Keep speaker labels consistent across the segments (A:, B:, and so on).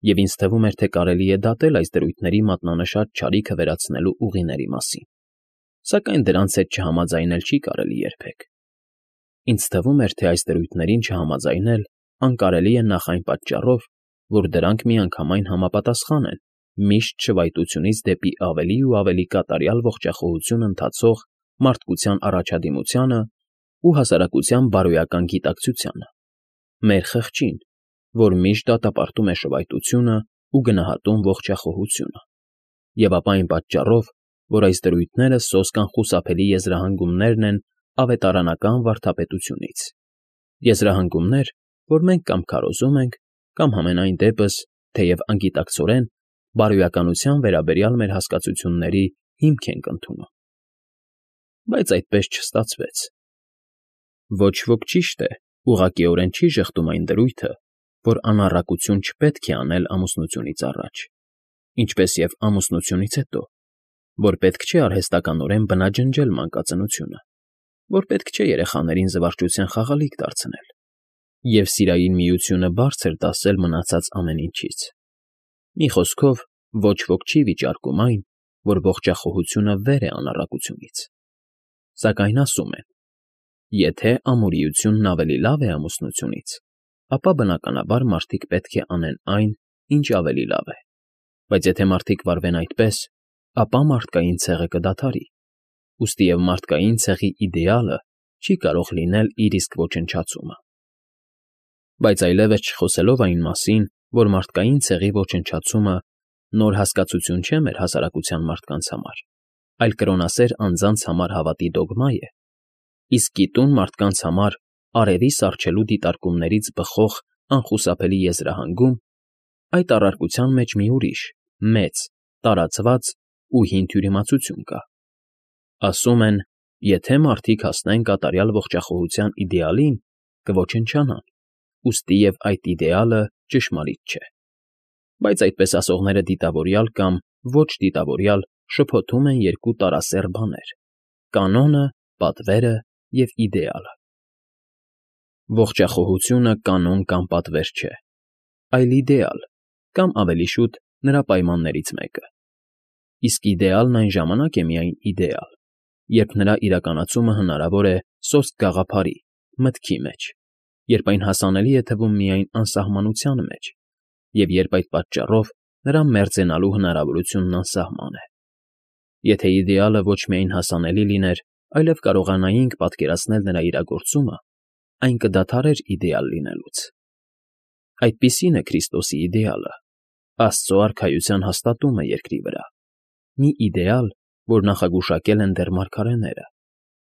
A: և ինձ թվում էր, թե կարելի է դատել այս դրույթների մատնանշած չարիքը վերացնելու ուղիների մասին, սակայն դրանց հետ չհամաձայնել չի կարելի երբեք։ Ինձ թվում էր, թե այս դրույթներին չհամաձայնել անկարելի է նախ այն պատճառով, որ դրանք միանգամայն համապատասխան են միշտ շվայտությունից դեպի ավելի ու ավելի կատարյալ ողջախոհություն ընթացող մարդկության առաջադիմությանը ու հասարակության բարոյական գիտակցությանը, մեր խղճին, որ միշտ դատապարտում է շվայտությունը ու գնահատում ողջախոհությունը, և ապա այն պատճառով, որ այս դրույթները սոսկ անխուսափելի եզրահանգումներն են ավետարանական վարդապետությունից, եզրահանգումներ, որ մենք կամ քարոզում ենք, կամ համենայն դեպս, թեև անգիտակցորեն, բարոյականության վերաբերյալ մեր հասկացությունների հիմք ենք ընդունում։ Բայց այդպես չստացվեց։ Ոչ ոք, ճիշտ է, ուղղակիորեն չի ժխտում այն դրույթը, որ անառակություն չպետք է անել ամուսնությունից առաջ, ինչպես և ամուսնությունից հետո, որ պետք չէ արհեստականորեն բնաջնջել մանկածնությունը, որ պետք չէ երեխաներին զվարճության խաղալիք դարձնել և սիրային միությունը բարձր դասել մնացած ամեն ինչից։ Մի խոսքով, ոչ ոք չի վիճարկում այն, որ ողջախոհությունը վեր է անառակությունից։ Սակայն ասում են. եթե ամուրիությունն ավելի լավ է ամուսնությունից, ապա բնականաբար մարդիկ պետք է անեն այն, ինչ ավելի լավ է, բայց եթե մարդիկ վարվեն այդպես, ապա մարդկային ցեղը կդադարի, ուստի և մարդկային ցեղի իդեալը չի կարող լինել իր իսկ ոչնչացումը։ Բայց այլևս չխոսելով այն մասին, որ մարդկային ցեղի ոչնչացումը նոր հասկացություն չէ մեր հասարակության մարդկանց համար, այլ կրոնասեր անձանց համար հավատի դոգմա է, իսկ գիտուն մարդկանց համար արևի սառչելու դիտարկումներից բխող անխուսափելի եզրահանգում, այդ առարկության մեջ մի ուրիշ, մեծ, տարածված ու հին թյուրիմացություն կա։ Ասում են, եթե մարդիկ հասնեն կատարյալ ողջախոհության իդեալին, կոչնչանան, ուստի և այդ իդեալը ճշմարիտ չէ։ Բայց այդպես ասողները դիտավորյալ կամ ոչ դիտավորյալ շփոթում են երկու տարասեռ բաներ՝ կանոնը, պատվերը և իդեալը։ Ողջախոհությունը կանոն կամ պատվեր չէ, այլ իդեալ, կամ ավելի շուտ նրա պայմաններից մեկը։ Իսկ իդեալն այն ժամանակ է միայն իդեալ, երբ նրա իրականացումը հնարավոր է սոսկ գաղափարի, մտքի մեջ, երբ այն հասանելի է թվում միայն անսահմանության մեջ, և երբ այդ պատճառով նրա մերձենալու հնարավորությունն անսահման է։ Եթե իդեալը ոչ միայն հասանելի լիներ, այլև կարողանայինք պատկերացնել նրա իրագործումը, այն կդադարեր իդեալ լինելուց։ Այդպիսին է Քրիստոսի իդեալը, Աստծո արքայության հաստատումը երկրի վրա, մի իդեալ, որ նախագուշակել են դեռ մարգարեները,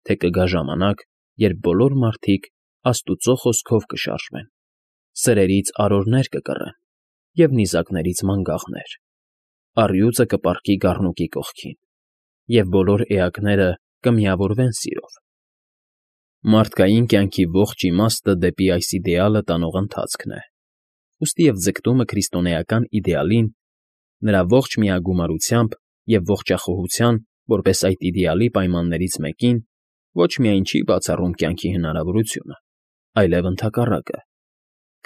A: թե կգա ժամանակ, երբ բոլոր մարդիկ Աստուծո խոսքով կշարժվեն, սրերից արորներ կկռեն և նիզակներից մանգաղներ, առյուծը կպառկի գառնուկի կողքին, և բոլոր էակները կմիավորվեն սիրով։ Մարդկային կյանքի ողջ իմաստը դեպի այս իդեալը տանող ընթացքն է, ուստի և ձգտումը քրիստոնեական իդեալին, նրա ողջ միագումարությամբ և ողջախոհության որպես այդ իդեալի պայմաններից մեկին, ոչ միայն չի բացառում կյանքի հնարավորությունը, այլև ընդհակառակը,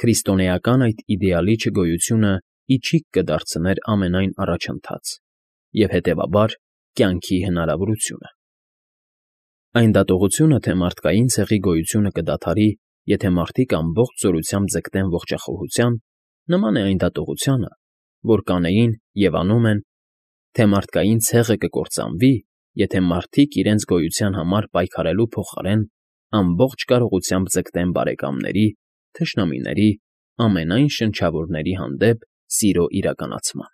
A: քրիստոնեական այդ իդեալի չգոյությունը ի չիք կդարձներ ամենայն առաջընթաց և, հետևաբար, կյանքի հնարավորությունը։ Այն դատողությունը, թե մարդկային ցեղի գոյությունը կդադարի, եթե մարդիկ ամբողջ զորությամբ ձգտեն ողջախոհության, նման է այն դատողությանը, որ կանեին և անում են, թե մարդկային ցեղը կկործանվի, եթե մարդիկ իրենց գոյության համար պայքարելու փոխարեն ամբողջ կարողությամբ ձգտեն բարեկամների, թշնամիների, ամենայն շնչավորների հանդեպ սիրո իրականացման։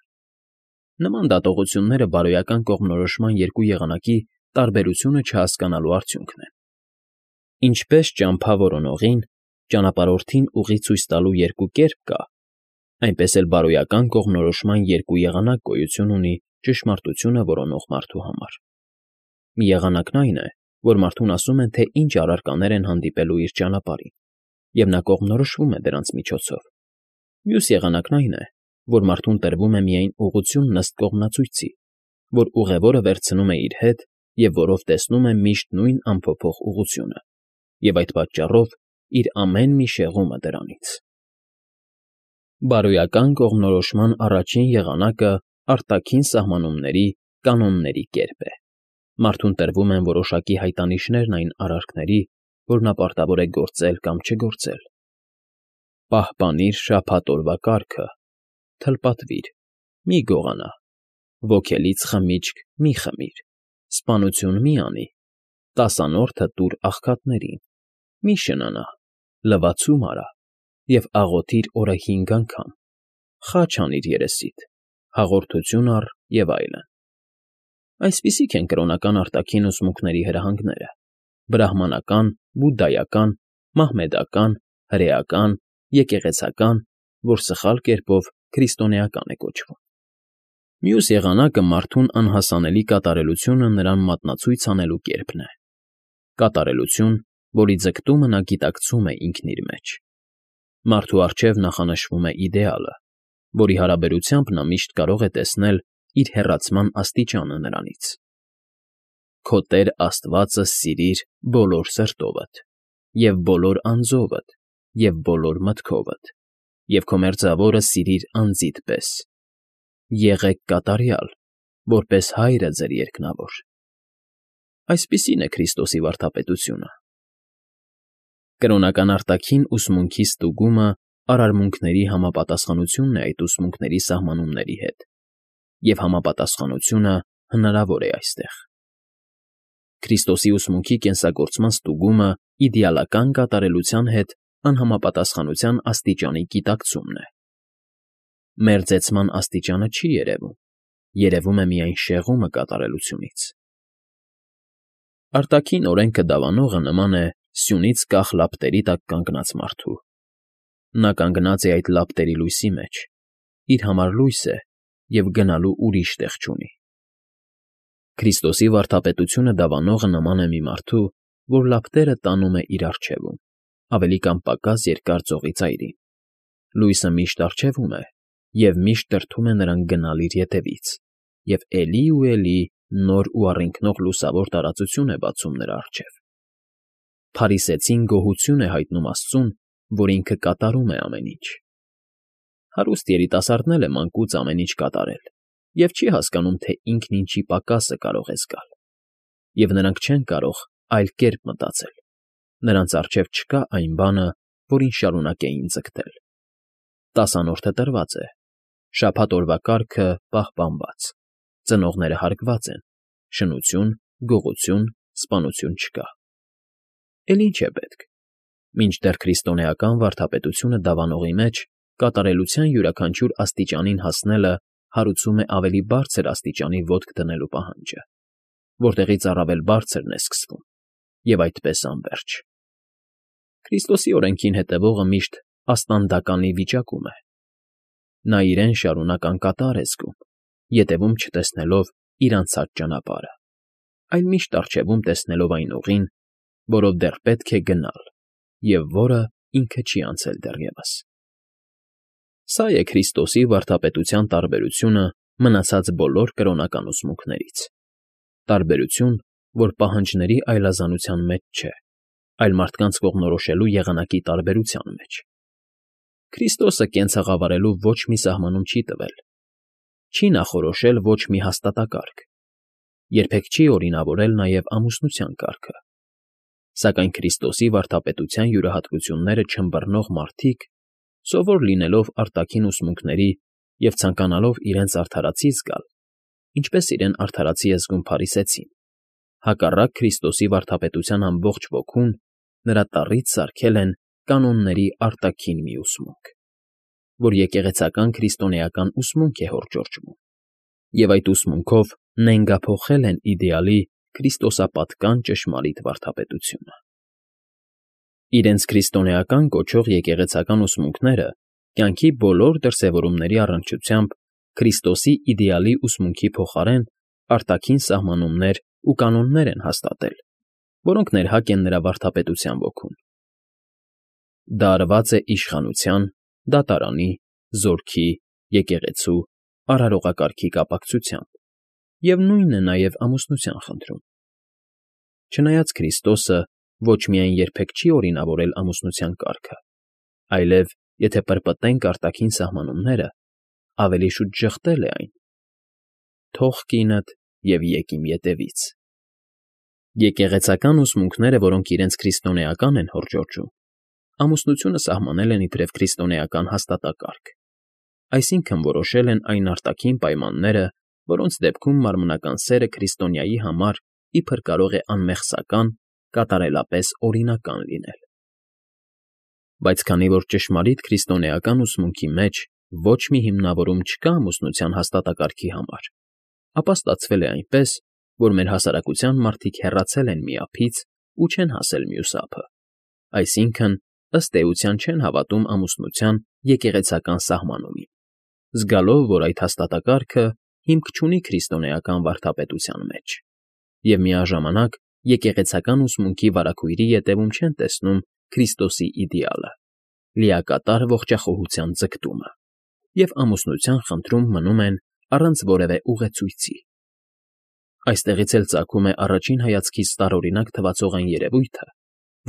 A: Նման դատողությունները բարոյական կողմնորոշման երկու եղանակի տարբերությունը չհասկանալու արդյունքն են։ Ինչպես ճամփա որոնողին, ճանապարհորդին ուղի ցույց տալու երկու կերպ կա, այնպես էլ բարոյական կողմնորոշման երկու եղանակ գոյություն ունի ճշմարտությունը որոնող մարդու համար։ Մի եղանակն այն է, որ մարդուն ասում են, թե ինչ առարկաներ են հանդիպելու իր ճանապարհին, և նա կողմնորոշվում է դրանց միջոցով։ Մյուս եղանակն այն է, որ մարդուն տրվում է միայն ուղղությունն ըստ կողմնացույցի, որ ուղևորը վերցնում է իր հետ և որով տեսնում է միշտ նույն անփոփոխ ուղղությունը, և այդ պատճառով իր ամեն մի շեղումը դրանից։ Բարոյական կողմնորոշման առաջին եղանակը արտաքին սահմանումների, կանոնների կերպ է։ Մարդուն տրվում են որոշակի հայտանիշներն այն արարքների, որ նա պարտավոր է գործել կամ չգործել։ Պահպանիր շաբաթ օրվա կարգը, թլպատվիր, մի գողանա, ոգելից խմիչք մի խմիր, սպանություն մի անի, տասանորդը տուր աղքատներին, մի շնանա, լվացում արա և աղոթիր օրը 5 անգամ, խաչ անիր երեսիդ, հաղորդություն առ և այլն։ Այսպիսիք են կրոնական արտաքին ուսմունքների հրահանգները՝ բրահմանական, բուդդայական, մահմեդական, հրեական, եկեղեցական, որ սխալ կերպով քրիստոնեական է կոչվում։ Մյուս եղանակը մարդուն անհասանելի կատարելությունը նրան մատնացույց անելու կերպն է։ Կատարելություն, որի ձգտումը նա գիտակցում է ինքն իր մեջ։ Մարդու առջև նախանշվում է իդեալը, որի հարաբերությամբ նա միշտ կարող է տեսնել իր հեռացման աստիճանը նրանից։ Քո Տեր Աստվածը սիրիր բոլոր սրտովդ, և բոլոր անձովդ, և բոլոր մտքովդ, և քո մերձավորը սիրիր անձիդ պես։ Եղեք կատարյալ, որպես Հայրը ձեր երկնավոր։ Այսպիսին է Քրիստոսի վարդապետությունը։ Կրոնական արտաքին ուսմունքի ստուգումը արարմունքների համապատասխանությունն է այդ ուսմունքների սահմանումների հետ, և համապատասխանությունը հնարավոր է այստեղ։ Քրիստոսի ուսմունքի կենսագործման ստուգումը իդեալական կատարելության հետ անհամապատասխանության աստիճանի գիտակցումն է։ Մերձեցման աստիճանը չի երևում, երևում է միայն շեղումը կատարելությունից։ Արտաքին օրենքը դավանողը նման է սյունից կախ լապտերի տակ կանգնած մարդու։ Նա կանգնած է այդ լապտերի լույսի մեջ, իր համար լույս է և գնալու ուրիշ տեղ չունի։ Քրիստոսի վարդապետությունը դավանողը նման է մի մարդու, որ լապտերը տանում է իր առջևում, ավելի կամ պակաս երկար ծովի ծայրին։ Լույսը միշտ առջևում է և միշտ դրդում է նրան գնալ իր ետևից, և էլի ու էլի նոր ու առինգնող լուսավոր տարածություն է բացում նրա առջև։ Փարիսեցին գոհություն է հայտնում Աստծուն, որ ինքը կատարում է ամեն ինչ։ Հարուստ երիտասարդն էլ է մանկուց ամեն ինչ կատարել և չի հասկանում, թե ինքն ինչի պակասը կարող է զգալ։ Եվ նրանք չեն կարող այլ կերպ մտածել։ Նրանց առջև չկա այն բանը, որին շարունակեին ձգտել։ Տասանորդը տրված է, շաբաթ օրվա կարգը պահպանված, ծնողները հարգված են, շնություն, գողություն, սպանություն չկա։ Էլ ինչ է պետք։ Մինչդեռ քրիստոնեական վարդապետությունը դավանողի մեջ կատարելության յուրաքանչյուր աստիճանին հասնելը հարուցում է ավելի բարձր աստիճանի ոտք դնելու պահանջը, որտեղից առավել բարձրն է սկսվում, և այդպես անվերջ։ Քրիստոսի օրենքին հետևողը միշտ աստանդականի վիճակում է։ Նա իրեն շարունակ անկատար է զգում, ետևում չտեսնելով իր անցած ճանապարհը, այլ միշտ առջևում տեսնելով այն ուղին, որով դեռ պետք է գնալ և որը ինքը չի անցել դեռևս։ Սա է Քրիստոսի վարդապետության տարբերությունը մնացած բոլոր կրոնական ուսմունքներից։ Տարբերություն, որ պահանջների այլազանության մեջ չէ, այլ մարդկանց կողմնորոշելու եղանակի տարբերության մեջ։ Քրիստոսը կենցաղավարելու ոչ մի սահմանում չի տվել, չի նախորոշել ոչ մի հաստատակարգ, երբեք չի օրինավորել նաև ամուսնության կարգը։ Սակայն Քրիստոսի վարդապետության յուրահատկությունները չըմբռնող մարդիկ, սովոր լինելով արտաքին ուսմունքների և ցանկանալով իրենց արդարացի զգալ, ինչպես իրեն արդարացի է զգում փարիսեցին, հակառակ Քրիստոսի վարդապետության ամբողջ ոգուն նրա տառից սարքել են կանոնների արտաքին մի ուսմունք, որ եկեղեցական քրիստոնեական ուսմունք է հորդորում, և այդ ուսմունքով նենգափոխել են իդեալի քրիստոսապատկան ճշմարիտ վարդապետությունը։ Իրենց քրիստոնեական կոչող եկեղեցական ուսմունքները կյանքի բոլոր դրսևորումների առնչությամբ Քրիստոսի իդեալի ուսմունքի փոխարեն արտաքին սահմանումներ ու կանոններ են հաստատել, որոնք ներհակ են նրա վարդապետության ոգուն։ Դա արված է իշխանության, դատարանի, զորքի, եկեղեցու, արարողակարգի կապակցությամբ, և նույնն է նաև ամուսնության խնդրում։ Չնայած Քրիստոսը ոչ միայն երբեք չի օրինավորել ամուսնության կարգը, այլև եթե պրպտենք արտաքին սահմանումները, ավելի շուտ ժխտել է այն։ Թող կինդ և եկ իմ ետևից։ Եկեղեցական ուսմունքները, որոնք իրենց քրիստոնեական են հորդորում, ամուսնությունը սահմանել են իբրև քրիստոնեական հաստատակարգ, այսինքն որոշել են այն արտաքին պայմանները, որոնց դեպքում մարմնական սերը քրիստոնյայի համար իբր կարող է անմեղսական, կատարելապես օրինական լինել։ Բայց քանի որ ճշմարիտ քրիստոնեական ուսմունքի մեջ ոչ մի հիմնավորում չկա ամուսնության հաստատակարգի համար, ապա ստացվել է այնպես, որ մեր հասարակության մարդիկ հեռացել են մի ափից ու չեն հասել մյուս ափը, այսինքն ըստ էության չեն հավատում ամուսնության եկեղեցական սահմանումին, զգալով, որ այդ հաստատակարգը հիմք չունի քրիստոնեական վարդապետության մեջ, և միաժամանակ եկեղեցական ուսմունքի վարագույրի ետևում չեն տեսնում Քրիստոսի իդեալը, լիակատար ողջախոհության ձգտումը, և ամուսնության խնդրում մնում են առանց որևէ ուղեցույցի։ Այստեղից էլ ծագում է առաջին հայացքից տարօրինակ թվացող այն երևույթը,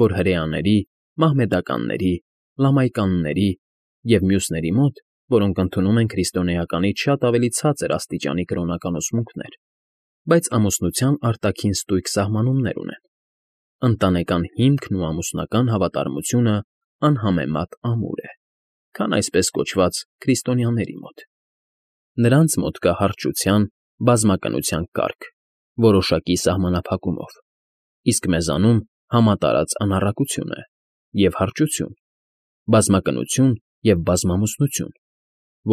A: որ հրեաների, մահմեդականների, լամայկանների և մյուսների մոտ, որոնք ընդունում են քրիստոնեականից շատ ավելի ցածր աստիճանի կրոնական ուսմունքներ, բայց ամուսնության արտաքին ստույգ սահմանումներ ունեն, ընտանեկան հիմքն ու ամուսնական հավատարմությունը անհամեմատ ամուր է, քան այսպես կոչված քրիստոնյաների մոտ։ Նրանց մոտ կա հարճության, բազմակնության կարգ, որոշակի սահմանափակումով, իսկ մեզանում համատարած անառակություն է և հարճություն, բազմակնություն և բազմամուսնություն,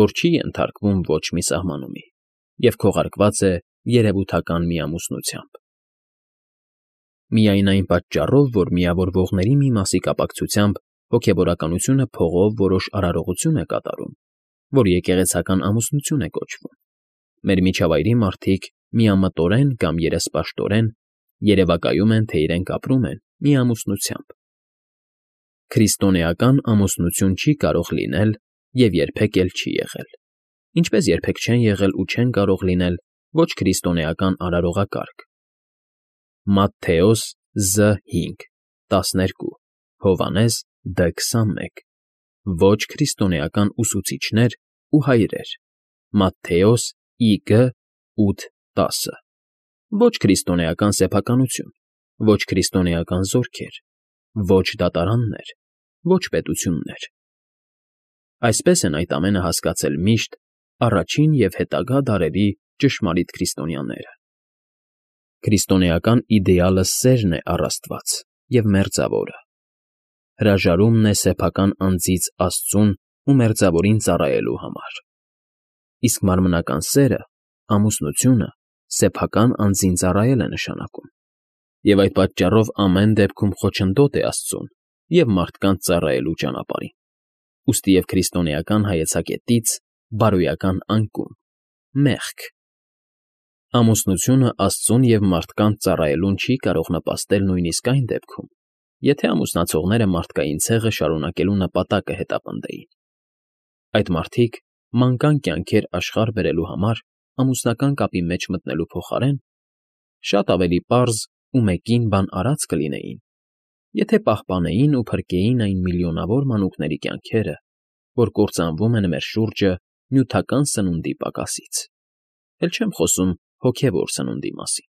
A: որ չի ենթարկվում ոչ մի սահմանումի և քողարկված է երևութական միամուսնությամբ։ Միայն այն պատճառով, որ միավորվողների մի մասի կապակցությամբ հոգևորականությունը փողով որոշ արարողություն է կատարում, որ եկեղեցական ամուսնություն է կոչվում, մեր միջավայրի մարդիկ միամտորեն կամ երեսպաշտորեն երևակայում են, թե իրենք ապրում են միամուսնությամբ։ Քրիստոնեական ամուսնություն չի կարող լինել և երբեք էլ չի եղել, ինչպես երբեք չեն եղել ու չեն կարող լինել ոչ քրիստոնեական արարողակարգ (Մատթեոս Զ5:12, Հովհաննես Դ21), ոչ քրիստոնեական ուսուցիչներ ու հայրեր (Մատթեոս Իգ8:10), ոչ քրիստոնեական սեփականություն, ոչ քրիստոնեական զորքեր, ոչ դատարաններ, ոչ պետություններ։ Այսպես են այդ ամենը հասկացել միշտ առաջին և հետագա դարերի ճշմարիտ քրիստոնյաները։ Քրիստոնեական իդեալը սերն է առ Աստված և Մերձավորը, հրաժարումն է սեփական անձից Աստծուն ու Մերձավորին ծառայելու համար, իսկ մարմնական սերը, ամուսնությունը սեփական անձին ծառայել է նշանակում, և այդ պատճառով ամեն դեպքում խոչընդոտ է Աստծուն և մարդկանց ծառայելու ճանապարհին, ուստի և քրիստոնեական հայեցակետից բարոյական անկում, մեղք։ Ամուսնությունը Աստծուն և մարդկանց ծառայելուն չի կարող նպաստել նույնիսկ այն դեպքում, եթե ամուսնացողները մարդկային ցեղը շարունակելու նպատակը հետապնդեին։ Այդ մարդիկ մանկան կյանքեր աշխարհ բերելու համար ամուսնական կապի մեջ մտնելու փոխարեն շատ ավելի պարզ ու մեկին բան արած կլինեին, եթե պահպանեին ու փրկեին այն միլիոնավոր մանուկների կյանքերը, որ կործանվում են մեր շուրջը նյութական սնունդի պակասից, էլ չեմ խոսում հոգևոր սննդի մասին։